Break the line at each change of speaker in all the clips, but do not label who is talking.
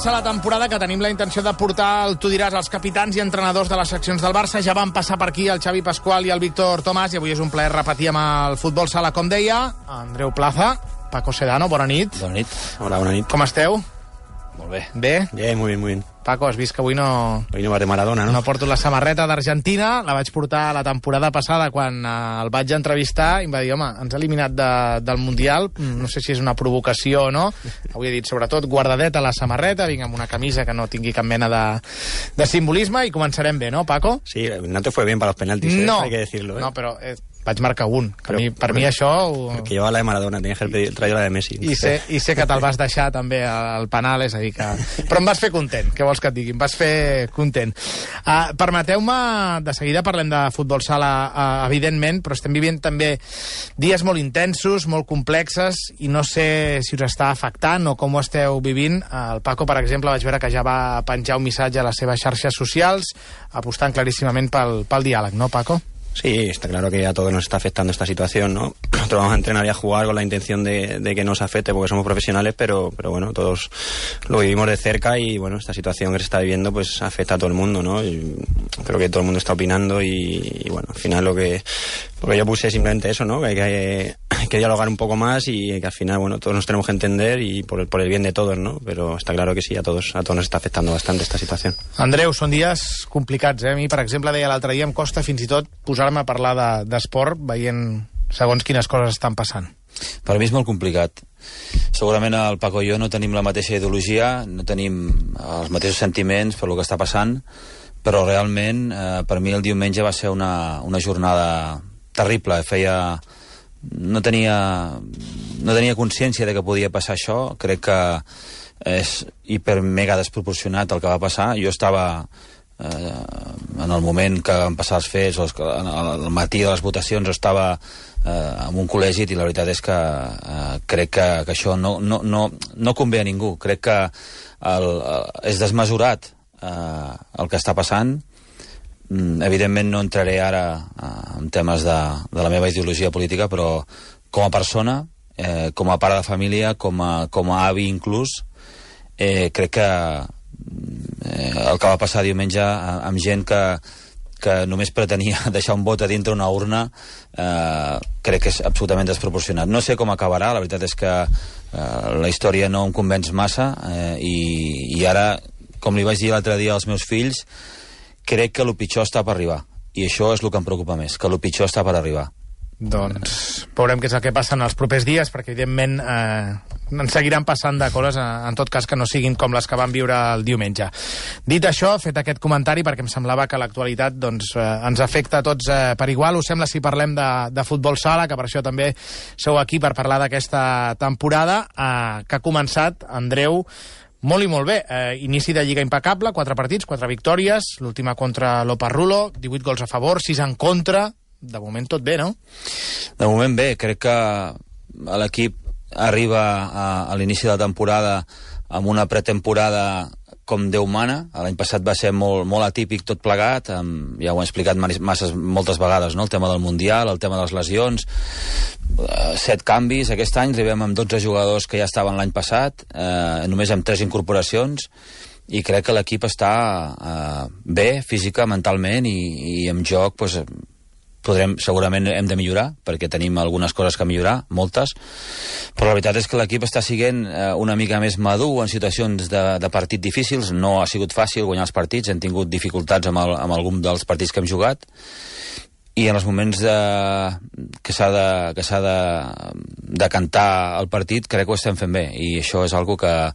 començar la temporada, que tenim la intenció de portar el Tu diràs als capitans i entrenadors de les seccions del Barça. Ja van passar per aquí el Xavi Pascual i el Víctor Tomàs, i avui és un plaer repetir amb el futbol sala, com deia, Andreu Plaza, Paco Sedano, bona nit.
Bona nit.
Hola, bona nit.
Com esteu?
Molt bé.
Bé?
Bien, muy bien, muy bien.
Paco, has vist que avui no...
Hoy no vas de Maradona, ¿no?
No porto la samarreta d'Argentina, la vaig portar la temporada passada quan el vaig entrevistar i em va dir, home, ens ha eliminat del Mundial, no sé si és una provocació o no. Avui he dit, sobretot, guardadeta la samarreta, vinc amb una camisa que no tingui cap mena de simbolisme, i començarem bé, no, Paco?
Sí, no te fue bien para los penaltis,
no,
hay que decirlo.
No, però vaig marcar un. Per mi això...
Que llevaba la de Maradona, tenías que haber traído la de Messi.
I sé que te'l vas deixar també al penal, és a dir que... Però em vas fer content, què vols que et digui? Em vas fer content. Permeteu-me, de seguida parlem de futbol sala, evidentment, però estem vivint també dies molt intensos, molt complexes, i no sé si us està afectant o com ho esteu vivint. El Paco, per exemple, vaig veure que ja va penjar un missatge a les seves xarxes socials apostant claríssimament pel diàleg, no, Paco?
Sí, está claro que a todos nos está afectando esta situación, ¿no? Nosotros vamos a entrenar y a jugar con la intención de que nos afecte porque somos profesionales, pero bueno, todos lo vivimos de cerca y bueno, esta situación que se está viviendo pues afecta a todo el mundo, ¿no? Y creo que todo el mundo está opinando y bueno, al final lo que yo puse es simplemente eso, ¿no? Que hay que dialogar un poco más y que al final, bueno, todos nos tenemos que entender y por el bien de todos, ¿no? Pero está claro que sí, a todos nos está afectando bastante esta situación.
Andreu, són dies complicats, eh? A mi, per exemple, deia l'altre dia, em costa fins i tot posar-me a parlar d'esport veient segons quines coses estan passant.
Per mi és molt complicat. Segurament el Paco i jo no tenim la mateixa ideologia, no tenim els mateixos sentiments per lo que està passant, però realment per mi el diumenge va ser una jornada terrible. No tenia consciència de que podia passar això. Crec que és hiper mega desproporcionat el que va passar. Jo estava en el moment que van passar els fets, al matí de les votacions, estava en un col·legi, i la veritat és que crec que això no convé a ningú. Crec que és desmesurat el que està passant. Evidentment no entraré ara en temes de la meva ideologia política, però com a persona, com a pare de família, com a avi inclús, crec que el que va passar diumenge amb gent que només pretenia deixar un vot a dintre una urna, crec que és absolutament desproporcionat. No sé com acabarà, la veritat és que la història no em convenç massa, i ara, com li vaig dir l'altre dia als meus fills, crec que el pitjor està per arribar, i això és el que em preocupa més, que el pitjor està per arribar.
Doncs veurem què és el que passa en els propers dies, perquè evidentment ens seguiran passant de coses, en tot cas que no siguin com les que van viure el diumenge. Dit això, fet aquest comentari, perquè em semblava que l'actualitat ens afecta a tots per igual, us sembla si parlem de futbol sala, que per això també sou aquí per parlar d'aquesta temporada que ha començat, Andreu, molt i molt bé. Inici de Lliga impecable, 4 partits, 4 victòries, l'última contra l'Oparrulo, 18 gols a favor, 6 en contra. De moment tot bé, no?
De moment bé, crec que l'equip arriba a l'inici de la temporada amb una pretemporada com Déu mana. L'any passat va ser molt atípic tot plegat, ja ho he explicat moltes vegades, no? El tema del Mundial, el tema de les lesions, 7 canvis. Aquest any arribem amb 12 jugadors que ja estaven l'any passat, només amb 3 incorporacions, i crec que l'equip està bé, física, mentalment, i en joc doncs, segurament hem de millorar, perquè tenim algunes coses que millorar, moltes, però la veritat és que l'equip està sent una mica més madur en situacions de partit difícils. No ha sigut fàcil guanyar els partits, hem tingut dificultats amb algun dels partits que hem jugat, i en els moments que s'ha de cantar el partit crec que ho estem fent bé, i això és algo que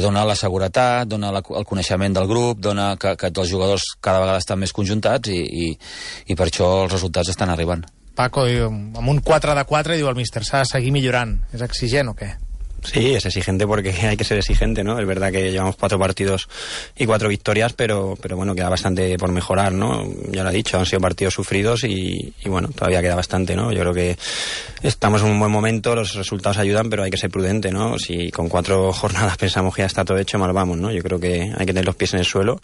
dona la seguretat, dona el coneixement del grup, dona que els jugadors cada vegada estan més conjuntats, i per això els resultats estan arribant.
Paco, amb un 4 de 4 diu el míster, s'ha de seguir millorant. És exigent o què?
Sí, es exigente porque hay que ser exigente, ¿no? Es verdad que llevamos 4 partidos y 4 victorias, pero bueno, queda bastante por mejorar, ¿no? Ya lo he dicho, han sido partidos sufridos y bueno, todavía queda bastante, ¿no? Yo creo que estamos en un buen momento, los resultados ayudan, pero hay que ser prudente, ¿no? Si con 4 jornadas pensamos que ya está todo hecho, mal vamos, ¿no? Yo creo que hay que tener los pies en el suelo,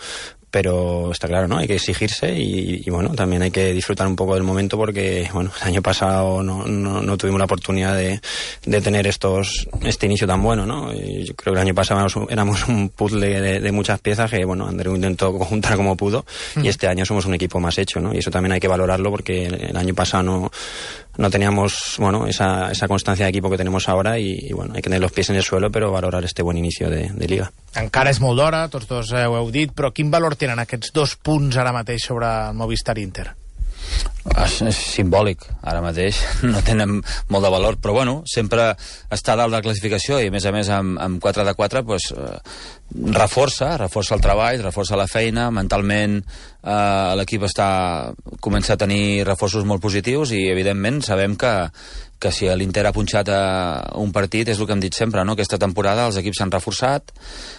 pero está claro, ¿no? Hay que exigirse y bueno, también hay que disfrutar un poco del momento porque, bueno, el año pasado no tuvimos la oportunidad de tener este inicio tan bueno, ¿no? Y yo creo que el año pasado éramos un puzzle de muchas piezas que, bueno, Andreu intentó conjuntar como pudo y este año somos un equipo más hecho, ¿no? Y eso también hay que valorarlo porque el año pasado no teníamos, bueno, esa constancia de equipo que tenemos ahora y bueno, hay que tener los pies en el suelo, pero valorar este buen inicio de Liga.
Encara és molt d'hora, tots dos ho heu dit, però quin valor tenen aquests 2 punts ara mateix sobre el Movistar Inter?
És simbòlic, ara mateix no tenen molt de valor, però bueno, sempre està dalt de la classificació i a més amb 4 de 4 pues, reforça el treball, reforça la feina, mentalment l'equip comença a tenir reforços molt positius i evidentment sabem que si l'Inter ha punxat un partit és el que hem dit sempre, no? Aquesta temporada els equips s'han reforçat,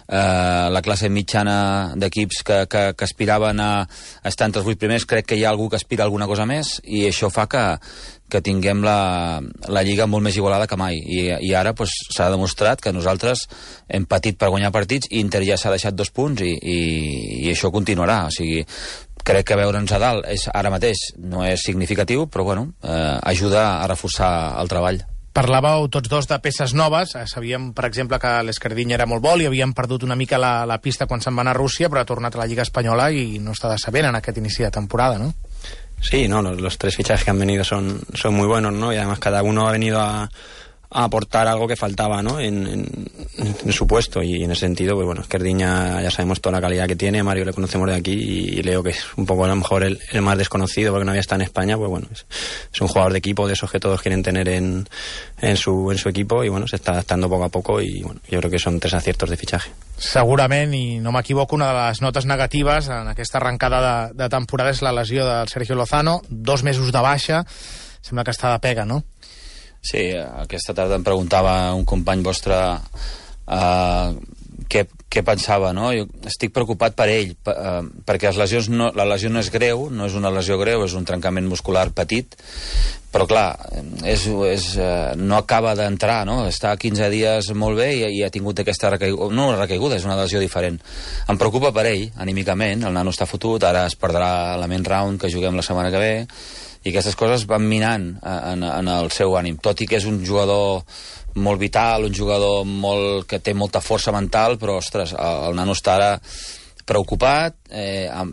la classe mitjana d'equips que aspiraven a estar entre els 8 primers, crec que hi ha algú que aspira a alguna cosa més i això fa que tinguem la Lliga molt més igualada que mai i ara s'ha demostrat que nosaltres hem patit per guanyar partits i Inter ja s'ha deixat 2 punts i això continuarà, o sigui crec que veure'ns a dalt ara mateix no és significatiu, però bueno, ajuda a reforçar el treball.
Parlàveu tots dos de peces noves. Sabíem, per exemple, que l'Escardiny era molt bo, li havien perdut una mica la pista quan se'n va anar a Rússia, però ha tornat a la Lliga Espanyola i no està decebent en aquest inici de temporada, ¿no?
Sí, no, los 3 fichajes que han venido son muy buenos, ¿no? Y además cada uno ha venido a aportar algo que faltaba, ¿no? en su puesto y en ese sentido, pues bueno, Escardiny ya sabemos toda la calidad que tiene, Mario le conocemos de aquí y Leo, que es un poco a lo mejor el más desconocido porque no había estado en España, pues bueno, es un jugador de equipo, de esos que todos quieren tener en su equipo y bueno, se está adaptando poco a poco y bueno, yo creo que son 3 aciertos de fichaje.
Segurament, i no m'equivoco, una de les notes negatives en aquesta arrencada de temporada és la lesió del Sergio Lozano, 2 mesos de baixa, sembla que està de pega, no?
Sí, aquesta tarda em preguntava un company vostre què pensava, no? Jo estic preocupat per ell, perquè la lesió no és greu, no és una lesió greu, és un trencament muscular petit, però clar, no acaba d'entrar, no? Està 15 dies molt bé i ha tingut aquesta recaiguda, no una recaiguda, és una lesió diferent. Em preocupa per ell, anímicament, el nano està fotut, ara es perdrà la main round que juguem la setmana que ve, i aquestes coses van minant en el seu ànim, tot i que és un jugador molt vital, un jugador que té molta força mental, però ostres, el nano està ara preocupat,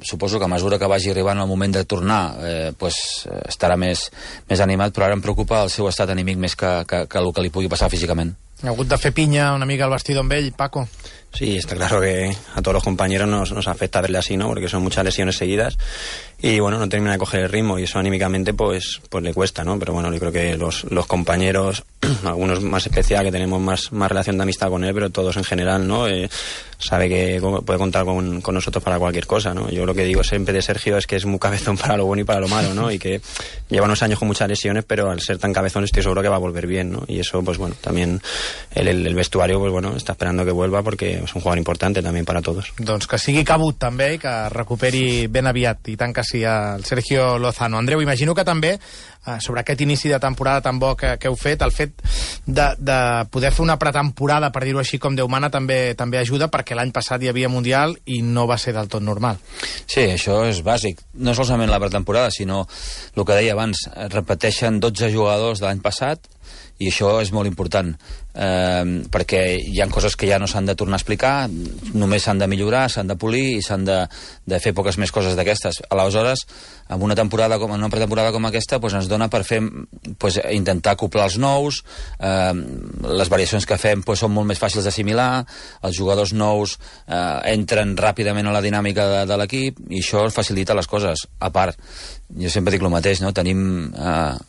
suposo que a mesura que vagi arribant el moment de tornar estarà més animat, però ara em preocupa el seu estat anímic més que el que li pugui passar físicament.
Ha hagut de fer pinya una mica al vestidor amb ell, Paco?
Sí, está claro que a todos los compañeros nos afecta verle así, ¿no? Porque son muchas lesiones seguidas y bueno, no termina de coger el ritmo y eso anímicamente pues le cuesta, ¿no? Pero bueno, yo creo que los compañeros, algunos más especial, que tenemos más relación de amistad con él, pero todos en general, ¿no? Sabe que puede contar con nosotros para cualquier cosa, ¿no? Yo lo que digo siempre de Sergio es que es muy cabezón para lo bueno y para lo malo, ¿no? Y que lleva unos años con muchas lesiones, pero al ser tan cabezón estoy seguro que va a volver bien, ¿no? Y eso, pues bueno, también el vestuario, pues bueno, está esperando que vuelva porque és un jugador important també per a tots.
Doncs que sigui cabut també i que recuperi ben aviat, i tant que sí, el Sergio Lozano. Andreu, imagino que també sobre aquest inici de temporada tan bo que heu fet, el fet de poder fer una pretemporada, per dir-ho així, com Déu mana, també ajuda, perquè l'any passat hi havia Mundial i no va ser del tot normal.
Sí, això és bàsic. No solament la pretemporada, sinó el que deia abans, repeteixen 12 jugadors de l'any passat i això és molt important, perquè hi ha coses que ja no s'han de tornar a explicar, només s'han de millorar, s'han de polir i s'han de fer poques més coses d'aquestes. Aleshores, en una pretemporada com aquesta, ens dona per fer, intentar acoplar els nous, les variacions que fem són molt més fàcils d'assimilar, els jugadors nous entren ràpidament a la dinàmica de l'equip i això facilita les coses. A part, jo sempre dic el mateix, no? Tenim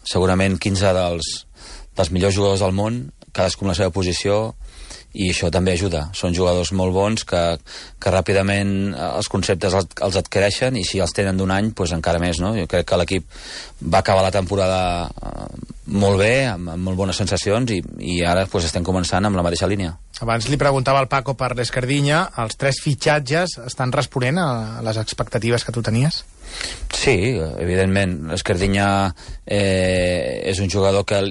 segurament 15 dels millors jugadors del món, cadascú en la seva posició, i això també ajuda. Són jugadors molt bons que ràpidament els conceptes els adquireixen i si els tenen d'un any, doncs encara més, no? Jo crec que l'equip va acabar la temporada molt bé, amb molt bones sensacions i ara estem començant amb la mateixa línia.
Abans li preguntava al Paco per l'Escardiny, els 3 fitxatges estan responent a les expectatives que tu tenies?
Sí, evidentment. Escardinyà és un jugador que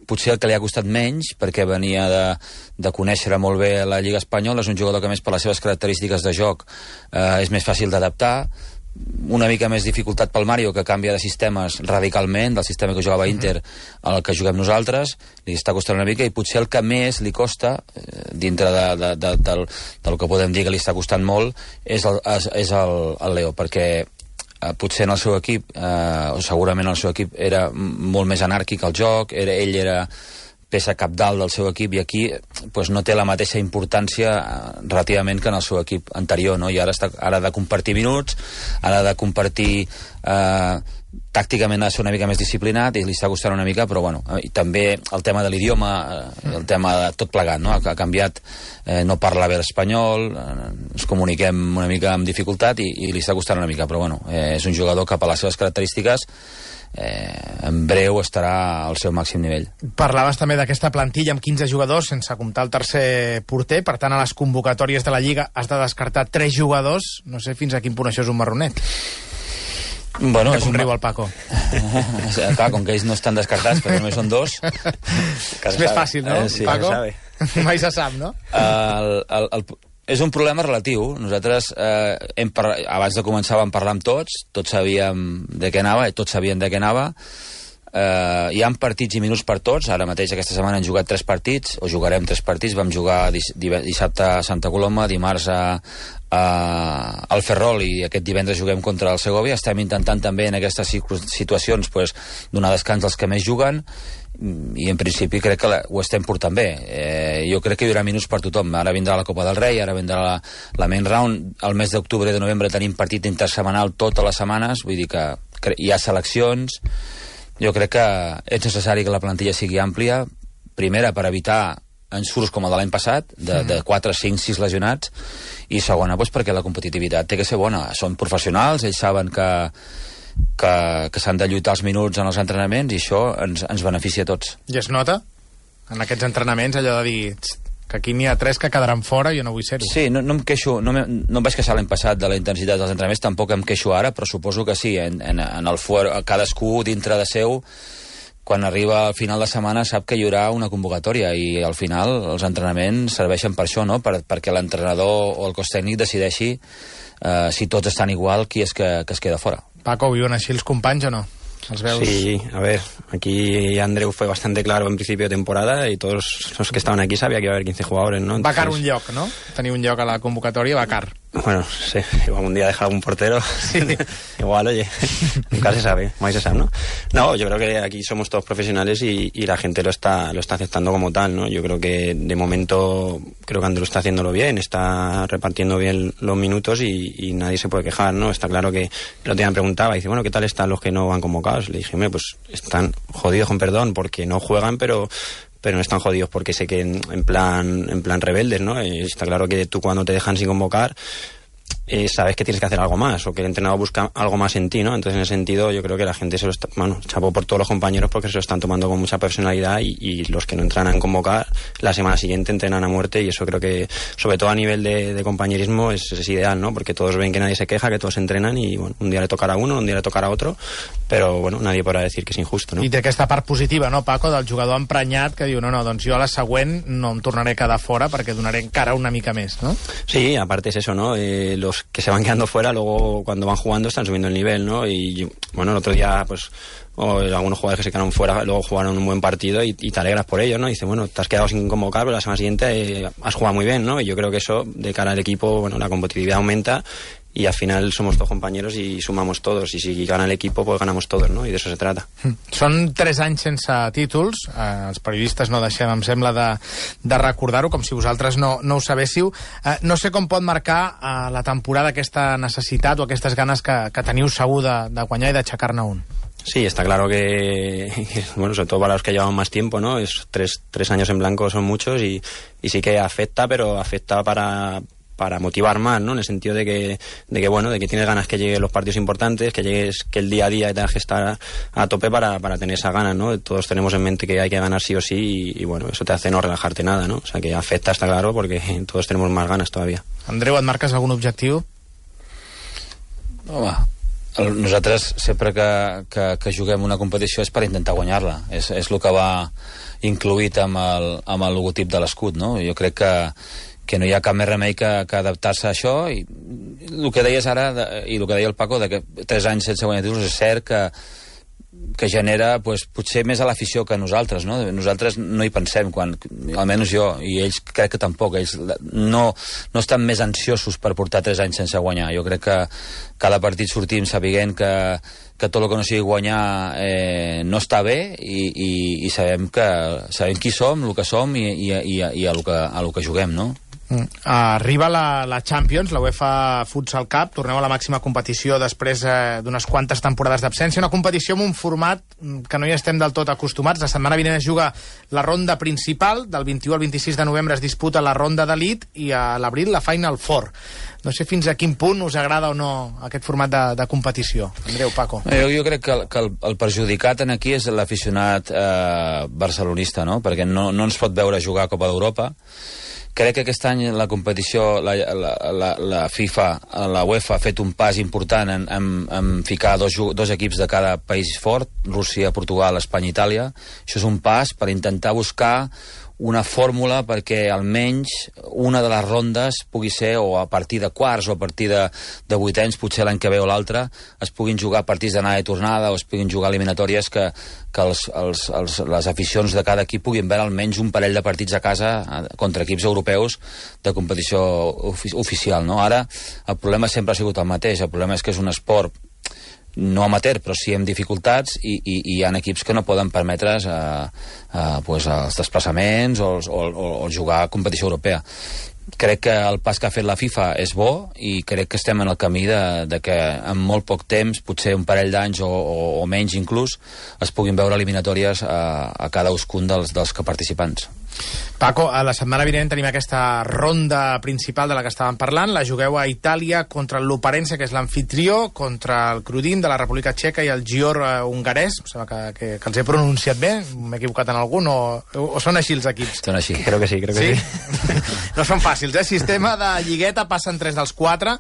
potser el que li ha costat menys, perquè venia de conèixer molt bé la Lliga Espanyola. És un jugador que, més per les seves característiques de joc, és més fàcil d'adaptar. Una mica més dificultat pel Mario, que canvia de sistemes radicalment, del sistema que jugava Inter al que juguem nosaltres. Li està costant una mica, i potser el que més li costa, dintre del que podem dir que li està costant molt, és el Leo, perquè potser en el seu equip, o segurament el seu equip, era molt més anàrquic el joc, ell era peça cabdal del seu equip, i aquí pues, no té la mateixa importància relativament que en el seu equip anterior, no? I ara ha de compartir minuts, ha de compartir tàcticament, ha de ser una mica més disciplinat, i li està costant una mica, però bueno, i també el tema de l'idioma, el tema de tot plegat, no? Ha canviat, no parla bé l'espanyol, ens comuniquem una mica amb dificultat, i li està costant una mica, però bueno, és un jugador que per les seves característiques en breu estarà al seu màxim nivell.
Parlaves també d'aquesta plantilla amb 15 jugadors, sense comptar el tercer porter. Per tant, a les convocatòries de la Lliga has de descartar 3 jugadors. No sé fins a quin punt això és un marronet.
Bueno,
és un riu al Paco.
Clar, com que ells no estan descartats, però només són 2.
És més fàcil, no,
sí,
Paco? Mai se sap, no?
És un problema relatiu. Nosaltres, abans de començar, vam parlar amb tots sabíem de què anava, i tots sabien de què anava. Hi ha partits i minuts per tots. Ara mateix, aquesta setmana, hem jugat 3 partits, o jugarem 3 partits. Vam jugar dissabte a Santa Coloma, dimarts al Ferrol, i aquest divendres juguem contra el Segovia. Estem intentant també en aquestes situacions pues, donar descans als que més juguen, i en principi crec que ho estem portant bé. Jo crec que hi haurà minuts per tothom. Ara vindrà la Copa del Rei, ara vindrà la main round. Al mes d'octubre i de novembre tenim partit intersetmanal totes les setmanes, vull dir que hi ha seleccions. Jo crec que és necessari que la plantilla sigui àmplia, primera per evitar ensurts com el de l'any passat, de 4, 5, 6 lesionats, i segona doncs, perquè la competitivitat té que ser bona. Són professionals, ells saben que s'han de lluitar els minuts en els entrenaments, i això ens beneficia a tots.
I es nota en aquests entrenaments allò de dir que aquí n'hi ha 3 que quedaran fora, jo no vull ser-hi.
Sí, no em queixo, no em vaig queixar l'any passat de la intensitat dels entrenaments, tampoc em queixo ara, però suposo que sí, en cadascú dintre de seu, quan arriba al final de setmana sap que hi haurà una convocatòria, i al final els entrenaments serveixen per això, no? Perquè l'entrenador o el cos tècnic decideixi si tots estan igual, qui és que es queda fora.
Paco, viuen així els companys o no? ¿Els veus?
Sí, a ver, aquí Andreu fue bastante claro en principio de temporada, y todos los que estaban aquí sabía que iba a haber 15 jugadores, ¿no? Entonces...
Va car un lloc, no? Tenir un lloc a la convocatòria va car.
Bueno, sí, igual un día dejar algún portero. Sí. Igual, oye, nunca se sabe, más se sabe, ¿no? No, yo creo que aquí somos todos profesionales, y la gente lo está aceptando como tal, ¿no? Yo creo que de momento, creo que Andreu está haciéndolo bien, está repartiendo bien los minutos, y nadie se puede quejar, ¿no? Está claro que el otro día me preguntaba, y dice, bueno, ¿qué tal están los que no van convocados? Le dije, pues están jodidos, con perdón, porque no juegan, pero no están jodidos porque se queden en plan rebeldes, ¿no? Está claro que tú, cuando te dejan sin convocar, sabes que tienes que hacer algo más, o que el entrenador busca algo más en ti, ¿no? Entonces, en ese sentido, yo creo que la gente se lo está... Bueno, chapo por todos los compañeros, porque se lo están tomando con mucha personalidad, y los que no entrenan a convocar, la semana siguiente entrenan a muerte, y eso creo que, sobre todo a nivel de compañerismo, es ideal, ¿no? Porque todos ven que nadie se queja, que todos entrenan, y bueno, un día le tocarà a uno, un día le tocarà a otro, però bueno, nadie podrà decir que és injusto, no?
I té aquesta part positiva, no, Paco, del jugador emprenyat que diu, no, doncs jo a la següent no em tornaré a quedar fora perquè donaré encara una mica més, ¿no?
Sí, aparte es eso, ¿no? Los que se van quedando fuera, luego cuando van jugando están subiendo el nivel, ¿no? Y bueno, el otro día, pues, algunos jugadores que se quedaron fuera luego jugaron un buen partido, y te alegras por ellos, ¿no? Y dices, bueno, te has quedado sin convocar, pero la semana siguiente has jugado muy bien, ¿no? Y yo creo que eso, de cara al equipo, bueno, la competitividad aumenta, y al final somos todos compañeros y sumamos todos, y si gana el equipo, pues ganamos todos, ¿no? I d'això se trata.
Són 3 anys sense títols, els periodistes no deixem, em sembla, de recordar-ho, com si vosaltres no ho sabéssiu. No sé com pot marcar la temporada aquesta necessitat o aquestes ganes que teniu segur de guanyar i d'aixecar-ne un.
Sí, está claro que, bueno, sobre todo para los que llevan más tiempo, ¿no? Es 3 años en blanco son muchos, y sí que afecta, pero afecta para motivar más, ¿no? En el sentido de que bueno, de que tienes ganas que lleguen los partidos importantes, que el día a día tengas que estar a tope para tener esas ganas, ¿no? Todos tenemos en mente que hay que ganar sí o sí, y bueno, eso te hace no relajarte nada, ¿no? O sea, que afecta, está claro, porque todos tenemos más ganas todavía.
Andreu, et marques algun objectiu?
Home, Nosaltres, sempre que juguem una competició és per intentar guanyar-la. És el que va incluït amb el logotip de l'escut, no? Jo crec que no hi ha cap més remei que adaptar-se a això, i el que deies ara, i el que deia el Paco, que 3 anys sense guanyar títols, és cert que genera potser més a l'afició que a nosaltres, no? Nosaltres no hi pensem, almenys jo, i ells crec que tampoc, ells no estan més ansiosos per portar 3 anys sense guanyar. Jo crec que cada partit sortim sabent que tot el que no sigui guanyar no està bé, i sabem qui som, el que som i a lo que juguem, no?
Arriba la Champions, la UEFA Futsal Cup, torneu a la màxima competició després d'unes quantes temporades d'absència, una competició amb un format que no hi estem del tot acostumats. La setmana vinent es juga la ronda principal, del 21 al 26 de novembre es disputa la ronda d'elit, i a l'abril la Final Four. No sé fins a quin punt us agrada o no aquest format de competició. Andreu, Paco.
Jo crec que el perjudicat aquí és l'aficionat barcelonista, no? Perquè no ens pot veure jugar a Copa d'Europa. Crec que aquest any la competició, la FIFA, la UEFA ha fet un pas important en ficar dos equips de cada país fort, Rússia, Portugal, Espanya i Itàlia. Això és un pas per intentar buscar una fórmula perquè almenys una de les rondes pugui ser, o a partir de quarts o a partir de vuitens, potser l'any que ve o l'altre, es puguin jugar partits d'anada i tornada, o es puguin jugar eliminatòries que les aficions de cada equip puguin veure almenys un parell de partits a casa contra equips europeus de competició oficial, no? Ara el problema sempre ha sigut el mateix. El problema és que és un esport no amateur, però sí amb dificultats, i hi ha equips que no poden permetre's els desplaçaments o jugar a competició europea. Crec que el pas que ha fet la FIFA és bo, i crec que estem en el camí de que en molt poc temps, potser un parell d'anys o menys inclús, es puguin veure eliminatòries a cadascun dels participants.
Paco, a la setmana vinent tenim aquesta ronda principal de la que estàvem parlant. La jugueu a Itàlia contra el Luparense, que és l'amfitrió, contra el Crudim de la República Txeca i el Gior hongarès. Em sembla que els he pronunciat bé. M'he equivocat en algun, o són així els equips?
Són així.
Creo que sí.
No són fàcils, eh? Sistema de lligueta, passen 3 dels 4.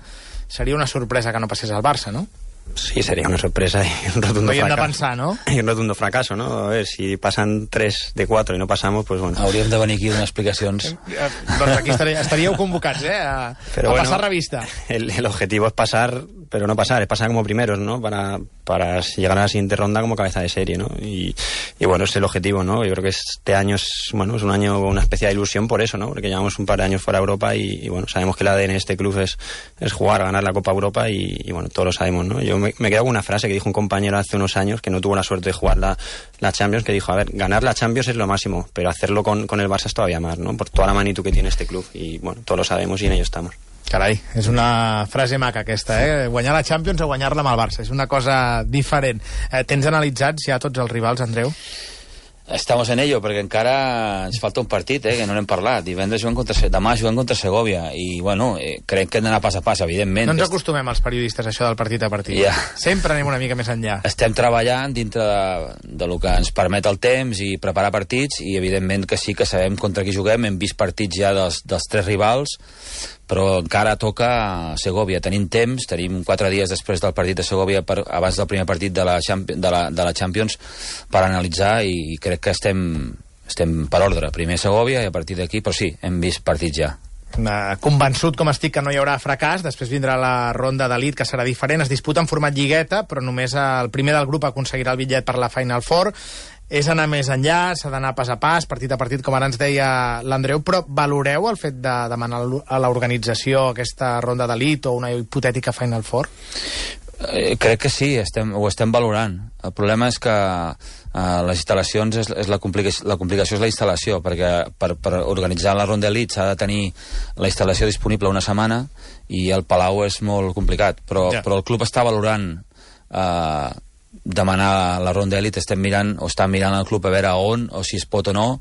Seria una sorpresa que no passés al Barça, no?
Sí, sería una sorpresa y un rotundo fracaso.
De pensar, ¿no?
Y un rotundo fracaso, ¿no? A ver, si pasan 3 de 4 y no pasamos, pues bueno.
Hauríem de venir aquí a donar explicacions.
Doncs aquí estaríeu convocats, a pasar revista.
El objetivo es pasar, pero no pasar, es pasar como primeros, ¿no? Para llegar a la siguiente ronda como cabeza de serie, ¿no? Y bueno, es el objetivo, ¿no? Yo creo que este año es un año con una especial ilusión por eso, ¿no? Porque llevamos un par de años fuera de Europa y bueno, sabemos que el ADN de este club es jugar, ganar la Copa Europa y bueno, todos lo sabemos, ¿no? Yo me quedo con una frase que dijo un compañero hace unos años que no tuvo la suerte de jugar la Champions, que dijo, a ver, ganar la Champions es lo máximo, pero hacerlo con el Barça es todavía más, ¿no? Por toda la magnitud que tiene este club y bueno, todos lo sabemos y en ello estamos.
Carai, és una frase maca aquesta, eh? Guanyar la Champions o guanyar-la amb el Barça. És una cosa diferent. Tens analitzats ja tots els rivals, Andreu?
Estamos en ello, perquè encara ens falta un partit, que no n'hem parlat. Demà juguem contra Segovia, i bueno, crec que hem d'anar pas a pas, evidentment.
No ens acostumem als periodistes això del partit a partit.
Yeah.
Sempre anem una mica més enllà.
Estem treballant dintre de lo que ens permet el temps i preparar partits, i evidentment que sí que sabem contra qui juguem. Hem vist partits ja dels 3 rivals, però encara toca Segovia. Tenim temps, tenim 4 dies després del partit de Segovia, abans del primer partit de la Champions, per analitzar, i crec que estem per ordre. Primer Segovia i a partir d'aquí, però sí, hem vist partits ja.
Convençut com estic que no hi haurà fracàs. Després vindrà la ronda d'elit, que serà diferent. Es disputa en format lligueta, però només el primer del grup aconseguirà el bitllet per la Final Four. És anar més enllà, s'ha d'anar pas a pas, partit a partit, com ara ens deia l'Andreu, però valoreu el fet de demanar a l'organització aquesta ronda d'elit o una hipotètica Final Four?
Crec que sí, ho estem valorant. El problema és que les instal·lacions, la complicació és la instal·lació, perquè per organitzar la ronda d'elit s'ha de tenir la instal·lació disponible una setmana, i el Palau és molt complicat, però el club està valorant demanar la ronda d'elit. Estem mirant, o està mirant el club a veure on, o si es pot o no,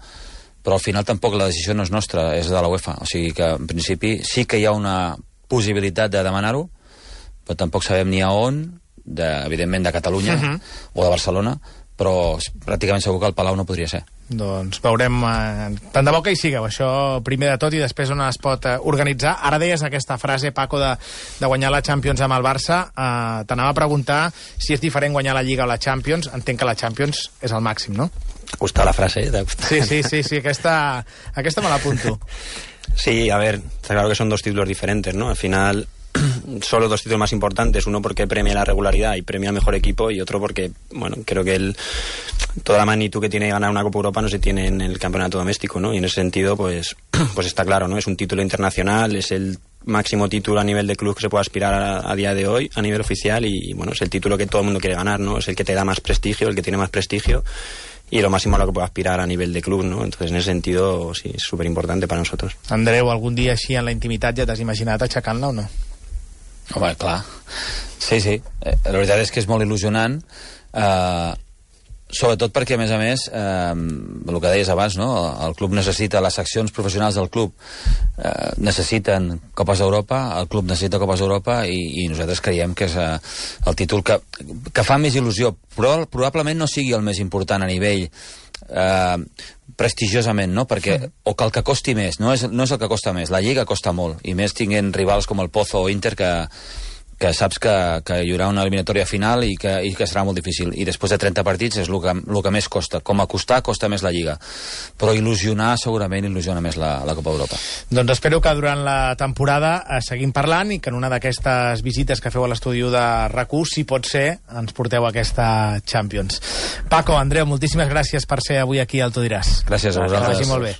però al final tampoc la decisió no és nostra, és de la UEFA. O sigui que en principi sí que hi ha una possibilitat de demanar-ho, però tampoc sabem ni a on, evidentment de Catalunya o de Barcelona, però pràcticament segur que el Palau no podria ser.
Doncs veurem, tant de bo que hi sigueu, això primer de tot, i després on es pot organitzar. Ara deies aquesta frase, Paco, de guanyar la Champions amb el Barça. T'anava a preguntar si és diferent guanyar la Lliga o la Champions. Entenc que la Champions és el màxim, ¿no?
Gusta la frase, ¿eh?
Sí, aquesta me l'apunto.
Sí, a ver, está claro que son dos títulos diferentes, ¿no? Al final, solo dos títulos más importantes, uno porque premia la regularidad y premia al mejor equipo, y otro porque, bueno, creo que toda la magnitud que tiene ganar una Copa Europa no se tiene en el campeonato doméstico, ¿no? Y en ese sentido, pues está claro, ¿no? Es un título internacional, es el máximo título a nivel de club que se puede aspirar a día de hoy, a nivel oficial, y bueno, es el título que todo el mundo quiere ganar, ¿no? Es el que te da más prestigio, el que tiene más prestigio, y lo máximo a lo que puede aspirar a nivel de club, ¿no? Entonces, en ese sentido, sí, es súper importante para nosotros.
Andreu, algun dia així en la intimitat ja t'has imaginat aixecant-la o no?
Home, clar. Sí. La veritat és que és molt il·lusionant, sobretot perquè, a més, el que deies abans, no? El club necessita, les seccions professionals del club necessiten Copes d'Europa, el club necessita Copes d'Europa, i nosaltres creiem que és el títol que fa més il·lusió, però probablement no sigui el més important a nivell prestigiosament, no? Perquè, o que el que costi més, no és el que costa més, la Lliga costa molt, i més tinguent rivals com el Pozo o Inter que saps que hi haurà una eliminatòria final i que serà molt difícil, i després de 30 partits és el que més costa, com a costa més la Lliga, però segurament il·lusiona més la Copa d'Europa.
Doncs espero que durant la temporada seguim parlant, i que en una d'aquestes visites que feu a l'estudi de RAC1, si pot ser, ens porteu aquesta Champions. Paco, Andreu, moltíssimes gràcies per ser avui aquí al Tu diràs.
Gràcies a vosaltres.
Que vagi molt bé.